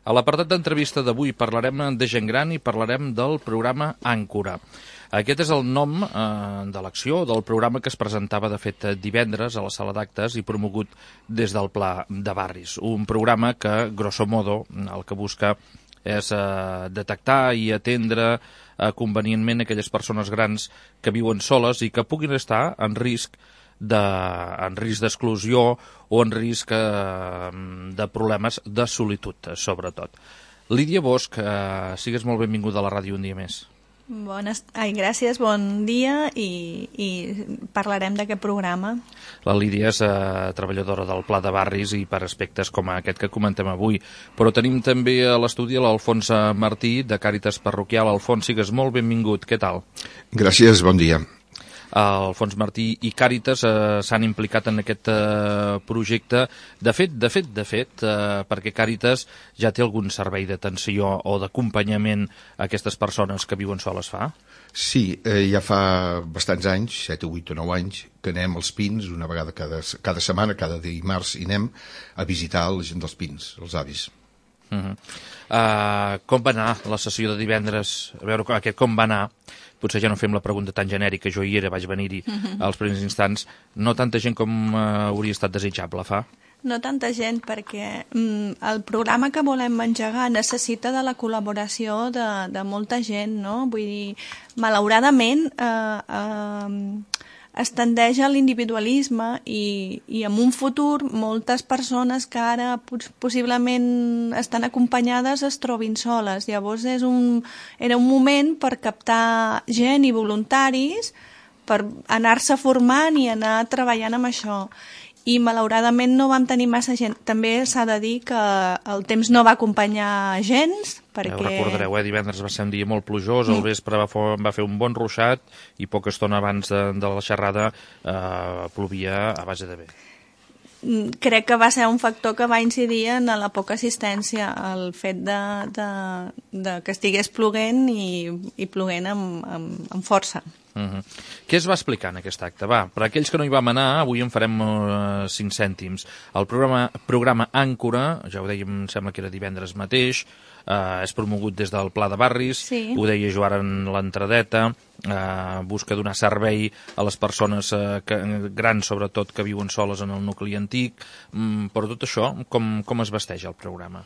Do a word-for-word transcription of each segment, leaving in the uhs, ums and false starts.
A l'apartat d'entrevista d'avui parlarem de gent gran i parlarem del programa Àncora. Aquest és el nom eh, de l'acció del programa que es presentava, de fet, divendres a la sala d'actes i promogut des del Pla de Barris. Un programa que, grosso modo, el que busca és eh, detectar i atendre eh, convenientment aquelles persones grans que viuen soles i que puguin estar en risc de, en risc d'exclusió o en risc eh, de problemes de solitud, sobretot. Lídia Bosch, eh, sigues molt benvinguda a la ràdio un dia més. Bones... Ai, gràcies, bon dia i, i parlarem d'aquest programa. La Lídia és eh, treballadora del Pla de Barris i per aspectes com aquest que comentem avui. Però tenim també a l'estudi l'Alfons Martí, de Càritas Parroquial. Alfons, sigues molt benvingut. Què tal? Gràcies, bon dia. Alfons Martí i Càritas eh, s'han implicat en aquest eh, projecte. De fet, de fet, de fet, eh, perquè Càritas ja té algun servei d'atenció o d'acompanyament a aquestes persones que viuen soles, fa? Sí, eh, ja fa bastants anys, set, vuit o nou anys, que anem als Pins, una vegada cada, cada setmana, cada dimarts, i anem a visitar la gent dels Pins, els avis. Uh -huh. uh, com va anar la sessió de divendres? A veure, aquest com va anar? Potser ja no fem la pregunta tan genèrica, jo hi era, vaig venir-hi uh -huh. als primers instants. No tanta gent com uh, hauria estat desitjable, fa? No tanta gent, perquè mm, el programa que volem engegar necessita de la col·laboració de, de molta gent, no? Vull dir, malauradament eh, eh, es tendeix a l'individualisme i, i en un futur moltes persones que ara possiblement estan acompanyades es trobin soles. Llavors és un, era un moment per captar gent i voluntaris per anar-se formant i anar treballant amb això. I malauradament no vam tenir massa gent. També s'ha de dir que el temps no va acompanyar gens, perquè... Ja ho recordareu, eh? Divendres va ser un dia molt plujós, al vespre va, va fer un bon ruixat i poca estona abans de, de la xerrada eh, plovia a base de bé. Crec que va ser un factor que va incidir en la poca assistència, el fet de, de, de que estigués ploguent i, i ploguent amb, amb, amb força. Uh -huh. Què es va explicar en aquest acte? Va, per aquells que no hi vam anar, avui en farem uh, cinc cèntims. El programa, programa Àncora, ja ho dèiem, em sembla que era divendres mateix, uh, és promogut des del Pla de Barris, sí. Ho deia jo ara en l'entradeta, uh, busca donar servei a les persones uh, que, grans, sobretot, que viuen soles en el nucli antic, um, però tot això, com, com es vesteix el programa?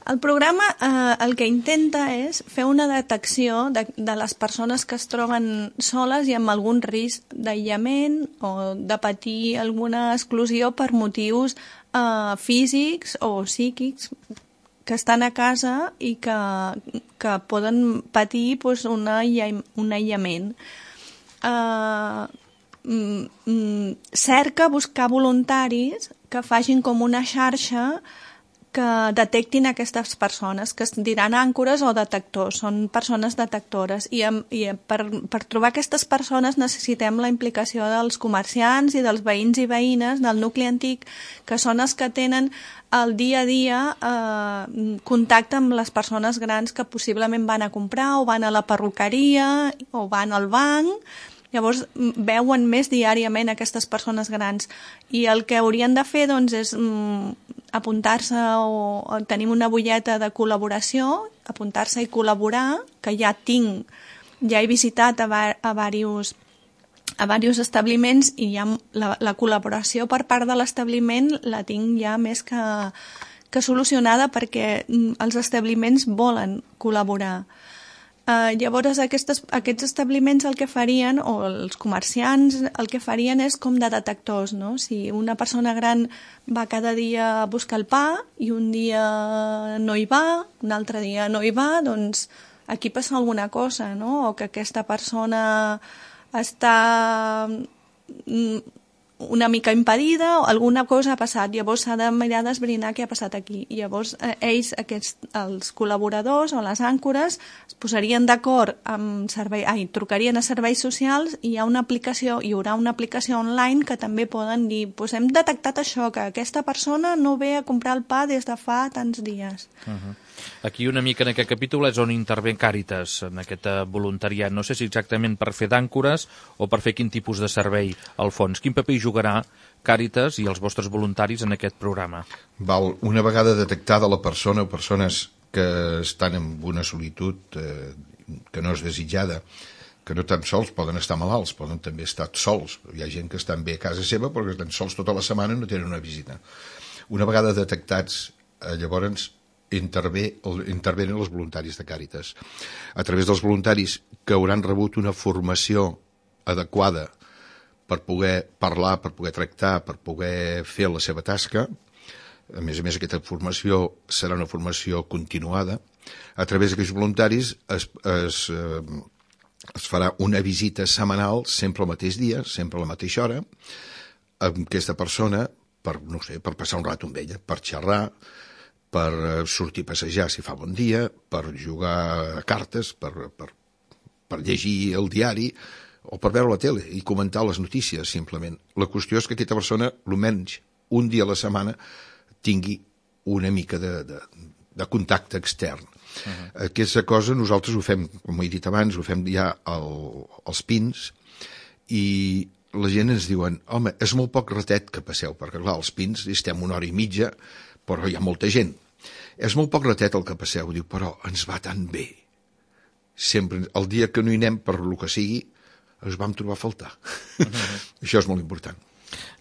El programa eh, el que intenta és fer una detecció de, de les persones que es troben soles i amb algun risc d'aïllament o de patir alguna exclusió per motius eh, físics o psíquics que estan a casa i que, que poden patir pues, una, un aïllament. Eh, mm, mm, cerca buscar voluntaris que facin com una xarxa que detectin aquestes persones, que es diran àncores o detectors, són persones detectores. I, i per, per trobar aquestes persones necessitem la implicació dels comerciants i dels veïns i veïnes del nucli antic, que són els que tenen el dia a dia eh, contacte amb les persones grans que possiblement van a comprar o van a la perruqueria o van al banc. Llavors veuen més diàriament aquestes persones grans i el que haurien de fer doncs, és mm, apuntar-se o, o tenir una butlleta de col·laboració, apuntar-se i col·laborar, que ja tinc, ja he visitat a, va, a diversos a diversos establiments i ja la, la col·laboració per part de l'establiment la tinc ja més que, que solucionada perquè mm, els establiments volen col·laborar. Uh, llavors aquestes, aquests establiments el que farien, o els comerciants el que farien és com de detectors, no? Si una persona gran va cada dia a buscar el pa i un dia no hi va, un altre dia no hi va, doncs aquí passa alguna cosa, no? O que aquesta persona està una mica impedida o alguna cosa ha passat, llavors s'ha de mirar d'esbrinar què ha passat aquí. I llavors eh, ells, aquests, els col·laboradors o les àncores es posarien d'acord amb servei, ai, trucarien a serveis socials i hi ha una aplicació, hi haurà una aplicació online que també poden dir, pues hem detectat això, que aquesta persona no ve a comprar el pa des de fa tants dies. Uh-huh. Aquí una mica en aquest capítol és on intervé Càritas, en aquest voluntariat. No sé si exactament per fer d'àncores o per fer quin tipus de servei al fons. Quin paper hi juga jugarà Càritas i els vostres voluntaris en aquest programa? Val, una vegada detectada la persona o persones que estan en una solitud eh, que no és desitjada, que no tan sols poden estar malalts, poden també estar sols. Hi ha gent que estan bé a casa seva però que estan sols tota la setmana i no tenen una visita. Una vegada detectats, eh, llavors intervé, intervenen els voluntaris de Càritas. A través dels voluntaris que hauran rebut una formació adequada per poder parlar, per poder tractar, per poder fer la seva tasca. A més a més, aquesta formació serà una formació continuada. A través d'aquests voluntaris es, es, eh, es farà una visita setmanal, sempre al mateix dia, sempre a la mateixa hora, amb aquesta persona, per, no sé, per passar un rato amb ella, per xerrar, per sortir a passejar si fa bon dia, per jugar a cartes, per, per, per llegir el diari o per veure la tele i comentar les notícies, simplement. La qüestió és que aquesta persona, almenys un dia a la setmana, tingui una mica de, de, de contacte extern. Uh-huh. Aquesta cosa nosaltres ho fem, com he dit abans, ho fem ja al, als Pins, i la gent ens diuen, home, és molt poc ratet que passeu, perquè clar, als Pins estem una hora i mitja, però hi ha molta gent. És molt poc ratet el que passeu, diu, però ens va tan bé. Sempre, el dia que no hi anem per lo que sigui, ens vam trobar a faltar. Uh-huh. Això és molt important.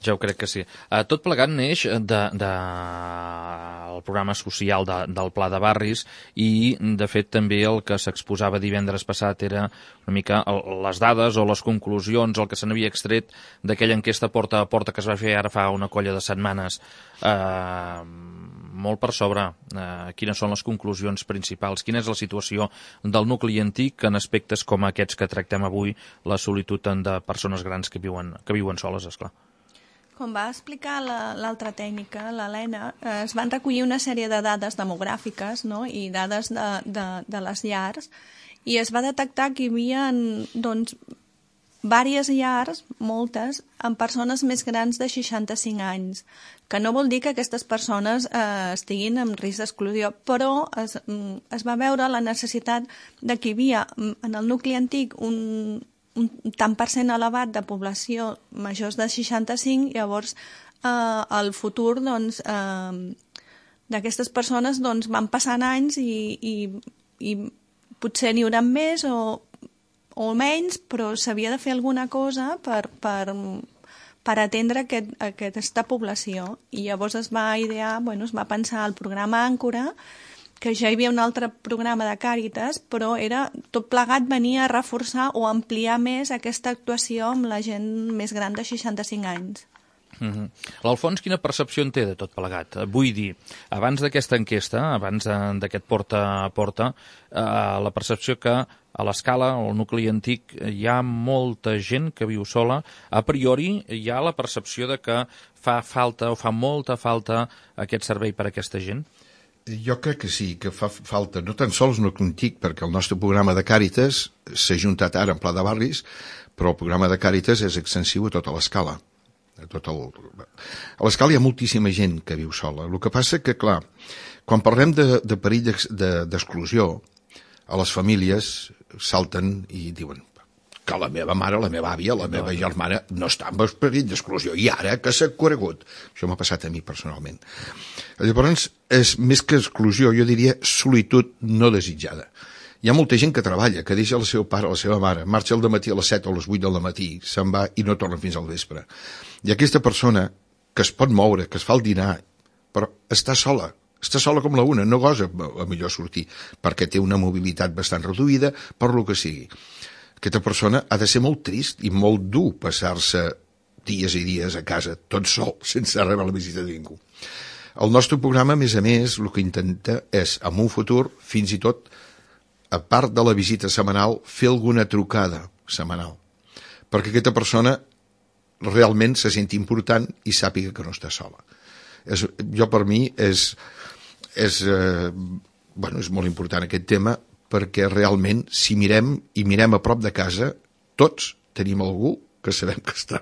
Ja ho crec que sí. Uh, tot plegat neix de, de, el programa social de, del Pla de Barris i, de fet, també el que s'exposava divendres passat era una mica el, les dades o les conclusions, el que se n'havia extret d'aquella enquesta porta a porta que es va fer ara fa una colla de setmanes. Uh, molt per sobre. Uh, quines són les conclusions principals? Quina és la situació del nucli antic en aspectes com aquests que tractem avui, la solitud de persones grans que viuen, que viuen soles, esclar? Com va explicar l'altra tècnica, l'Helena, eh, es van recollir una sèrie de dades demogràfiques, no?, i dades de, de, de les llars, i es va detectar que hi havia, doncs, diverses llars, moltes, amb persones més grans de seixanta-cinc anys, que no vol dir que aquestes persones eh, estiguin en risc d'exclusió, però es, es va veure la necessitat de que hi havia en el nucli antic un un tant per cent elevat de població majors de seixanta-cinc, llavors eh, al futur doncs, eh, d'aquestes persones doncs, van passant anys i, i, i potser n'hi haurà més o, o menys, però s'havia de fer alguna cosa per, per, per atendre aquest, aquesta població. I llavors es va idear, bueno, es va pensar el programa Àncora, que ja hi havia un altre programa de Càritas, però era tot plegat venia a reforçar o ampliar més aquesta actuació amb la gent més gran de seixanta-cinc anys. Mm-hmm. L'Alfons, quina percepció en té de tot plegat? Vull dir, abans d'aquesta enquesta, abans d'aquest porta a porta, eh, la percepció que a l'escala, al nucli antic, hi ha molta gent que viu sola. A priori, hi ha la percepció de que fa falta o fa molta falta aquest servei per a aquesta gent? Jo crec que sí, que fa falta, no tan sols nucli antic, perquè el nostre programa de Càritas s'ha juntat ara en Pla de Barris, però el programa de Càritas és extensiu a tota l'escala. A, tot el... a l'escala hi ha moltíssima gent que viu sola. El que passa que, clar, quan parlem de, de perill d'exclusió, a les famílies salten i diuen que la meva mare, la meva àvia, la meva germana no està en perill d'exclusió, i ara que s'ha conegut. Això m'ha passat a mi personalment. Llavors, és més que exclusió, jo diria solitud no desitjada. Hi ha molta gent que treballa, que deixa el seu pare o la seva mare, marxa al dematí a les set o a les vuit del matí, se'n va i no torna fins al vespre. I aquesta persona que es pot moure, que es fa el dinar, però està sola, està sola com la una, no gosa a millor sortir, perquè té una mobilitat bastant reduïda, per lo que sigui. Aquesta persona ha de ser molt trist i molt dur passar-se dies i dies a casa, tot sol, sense rebre la visita de ningú. El nostre programa, a més a més, el que intenta és, en un futur, fins i tot, a part de la visita setmanal, fer alguna trucada setmanal, perquè aquesta persona realment se senti important i sàpiga que no està sola. És, jo, per mi, és, és, eh, bueno, és molt important aquest tema, perquè realment, si mirem i mirem a prop de casa, tots tenim algú que sabem que està,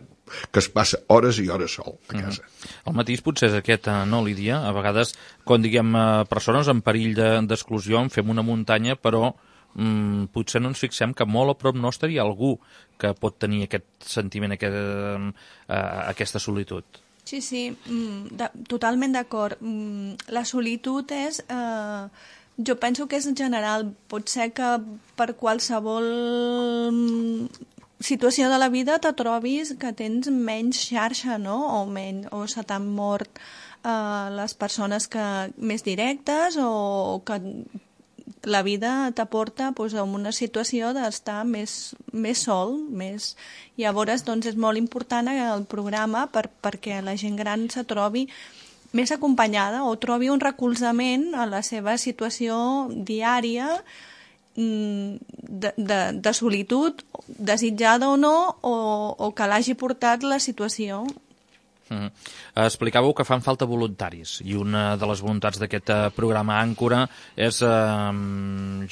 que es passa hores i hores sol a casa. Mm-hmm. El matís potser és aquest, no, Lídia? A vegades, quan diguem persones en perill d'exclusió, en fem una muntanya, però mm, potser no ens fixem que molt a prop nostre hi ha algú que pot tenir aquest sentiment, aquest, eh, aquesta solitud. Sí, sí, mm, de, totalment d'acord. Mm, la solitud és... Eh, jo penso que és general. Pot ser que per qualsevol situació de la vida te trobis que tens menys xarxa, no? O, menys, o se t'han mort eh, les persones que, més directes, o que la vida t'aporta pues, a una situació d'estar més, més sol. Més... Llavors, doncs, és molt important el programa per, perquè la gent gran se trobi més acompanyada o trobi un recolzament a la seva situació diària de, de, de solitud, desitjada o no, o, o que l'hagi portat la situació. Mm. Explicàveu que fan falta voluntaris i una de les voluntats d'aquest programa Àncora és eh,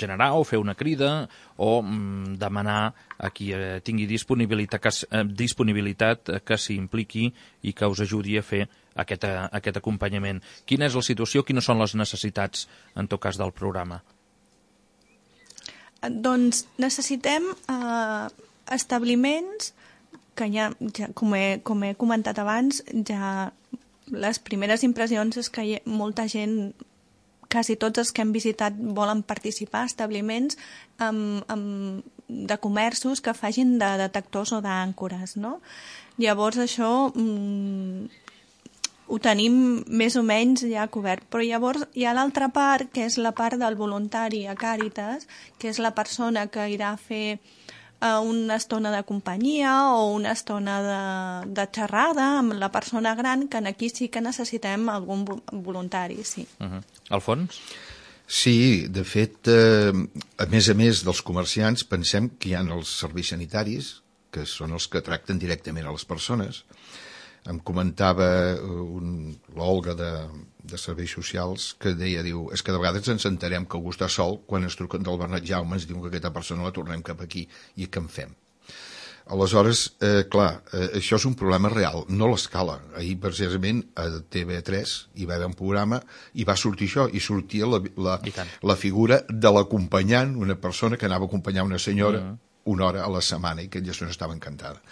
generar o fer una crida o mm, demanar a qui eh, tingui disponibilitat que, eh, disponibilitat que s'impliqui i que us ajudi a fer aquest, eh, aquest acompanyament. Quina és la situació, quines són les necessitats en tot cas del programa? Doncs necessitem eh, establiments que ja, ja com, he, com he comentat abans, ja les primeres impressions és que hi ha molta gent, quasi tots els que hem visitat volen participar, establiments amb, amb, de comerços que facin de detectors o d'àncores, no? Llavors això mm, ho tenim més o menys ja cobert, però llavors hi ha l'altra part, que és la part del voluntari a Càritas, que és la persona que irà a fer una estona de companyia o una estona de, de xerrada amb la persona gran, que aquí sí que necessitem algun voluntari, sí. Uh-huh. Alfons? Sí, de fet, eh, a més a més dels comerciants, pensem que hi ha els serveis sanitaris, que són els que tracten directament a les persones. Em comentava un, l'Olga de, de Serveis Socials que deia, diu, és que de vegades ens enterem que algú està sol quan ens truquen del Bernat Jaume, ens diuen que aquesta persona la tornem cap aquí i què en fem? Aleshores, eh, clar, eh, això és un problema real, no l'escala. Ahir, precisament, a T V tres hi va haver un programa i va sortir això, i sortia la, la, la figura de l'acompanyant, una persona que anava a acompanyar una senyora uh-huh. una hora a la setmana i que ella estava encantada.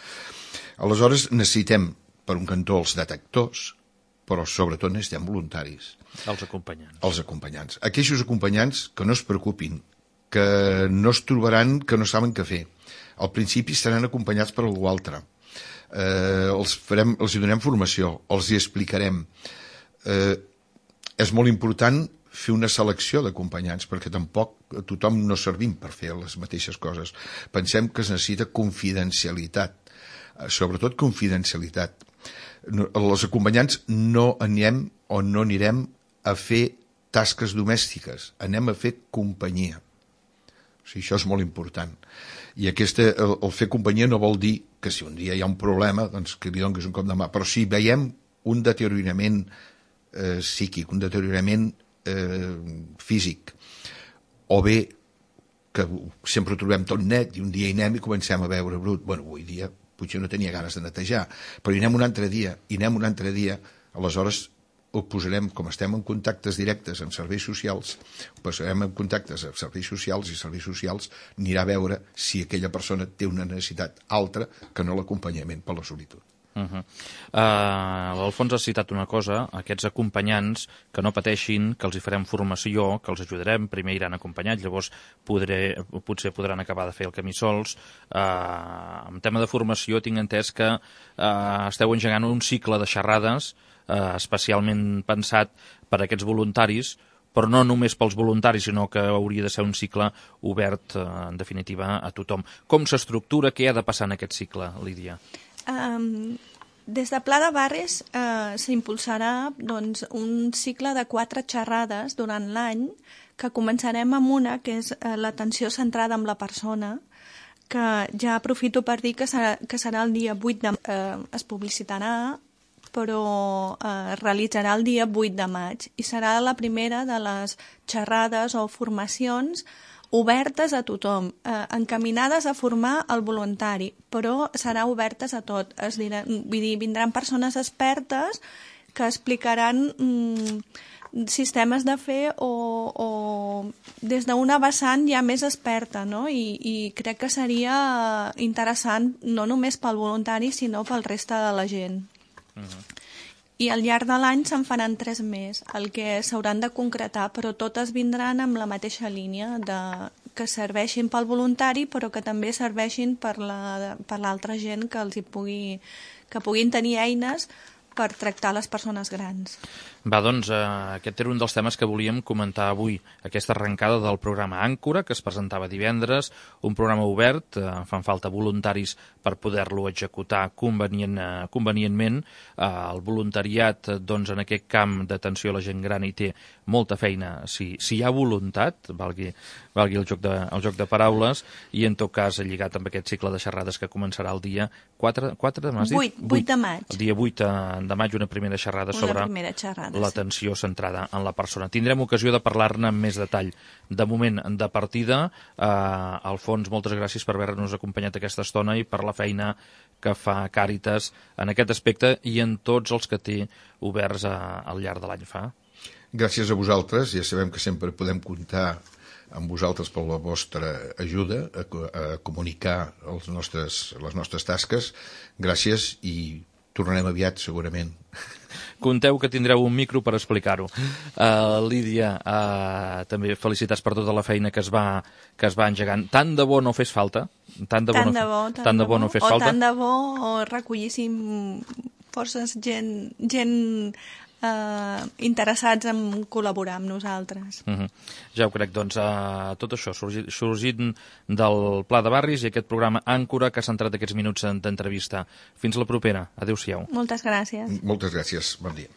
Aleshores, necessitem per un cantó els detectors, però sobretot necessitem voluntaris. Els acompanyants. Els acompanyants. Aquells acompanyants que no es preocupin, que no es trobaran que no saben què fer. Al principi estaran acompanyats per algú altre. Eh, els, farem, els hi donem formació, els hi explicarem. Eh, és molt important fer una selecció d'acompanyants, perquè tampoc tothom no servim per fer les mateixes coses. Pensem que es necessita confidencialitat, sobretot confidencialitat. Els acompanyants no anem o no anirem a fer tasques domèstiques, anem a fer companyia. O sigui, això és molt important. I aquesta, el, el fer companyia no vol dir que si un dia hi ha un problema, doncs que li donis un cop de mà, però si veiem un deteriorament eh, psíquic, un deteriorament eh, físic, o bé que sempre ho trobem tot net i un dia hi anem i comencem a veure brut, bueno, avui dia potser no tenia ganes de netejar, però hi anem un altre dia, hi anem un altre dia, aleshores ho posarem, com estem en contactes directes amb serveis socials, ho posarem en contactes amb serveis socials i serveis socials anirà a veure si aquella persona té una necessitat altra que no l'acompanyament per la solitud. Uh-huh. uh, L'Alfons ha citat una cosa, aquests acompanyants que no pateixin, que els hi farem formació, que els ajudarem, primer iran acompanyats, llavors podré, potser podran acabar de fer el camí sols. Uh, en tema de formació tinc entès que uh, esteu engegant un cicle de xerrades uh, especialment pensat per a aquests voluntaris, però no només pels voluntaris, sinó que hauria de ser un cicle obert, uh, en definitiva, a tothom. Com s'estructura, què ha de passar en aquest cicle, Lídia? Um, des de Pla de Barris uh, s'impulsarà doncs, un cicle de quatre xerrades durant l'any, que començarem amb una, que és uh, l'atenció centrada en la persona, que ja aprofito per dir que serà, que serà el dia vuit de maig, uh, es publicitarà, però uh, es realitzarà el dia vuit de maig, i serà la primera de les xerrades o formacions obertes a tothom, eh, encaminades a formar el voluntari, però serà obertes a tot. Es dirà, vull dir, vindran persones expertes que explicaran mm, sistemes de fer o, o des d'una vessant ja més experta, no? I, i crec que seria interessant no només pel voluntari, sinó pel reste de la gent. Uh-huh. I al llarg de l'any se'n faran tres més, el que s'hauran de concretar, però totes vindran amb la mateixa línia, de, que serveixin pel voluntari, però que també serveixin per la, per l'altra gent que els hi pugui, que puguin tenir eines per tractar les persones grans. Va, doncs, eh, aquest era un dels temes que volíem comentar avui, aquesta arrencada del programa Àncora, que es presentava divendres, un programa obert, eh, fan falta voluntaris per poder-lo executar convenient, eh, convenientment. Eh, el voluntariat, doncs, en aquest camp d'atenció a la gent gran hi té molta feina, si, si hi ha voluntat, valgui, valgui el, joc de, el joc de paraules, i en tot cas lligat amb aquest cicle de xerrades que començarà el dia quatre, quatre, m'has dit? vuit, vuit de maig. El dia vuit de maig, una primera xerrada una sobre primera xerrada, l'atenció sí. centrada en la persona. Tindrem ocasió de parlar-ne amb més detall. De moment, de partida, eh, Alfons, moltes gràcies per haver-nos acompanyat aquesta estona i per la feina que fa Càritas en aquest aspecte i en tots els que té oberts a, al llarg de l'any fa. Gràcies a vosaltres, ja sabem que sempre podem comptar amb vosaltres per la vostra ajuda a, a comunicar els nostres, les nostres tasques. Gràcies i tornarem aviat, segurament. Conteu que tindreu un micro per explicar-ho. Uh, Lídia, uh, també felicitats per tota la feina que es va, que es va engegant. Tant de bo no fes falta. Tant de bo, tant no, de bo, tant tant de bo bo. no fes o falta. tant de bo o recollíssim forces gent, gent uh, interessats en col·laborar amb nosaltres. Uh-huh. Ja ho crec, doncs, uh, tot això sorgit, sorgint del Pla de Barris i aquest programa Àncora que ha centrat aquests minuts d'entrevista. Fins la propera. Adéu-siau. Moltes gràcies. Moltes gràcies. Bon dia.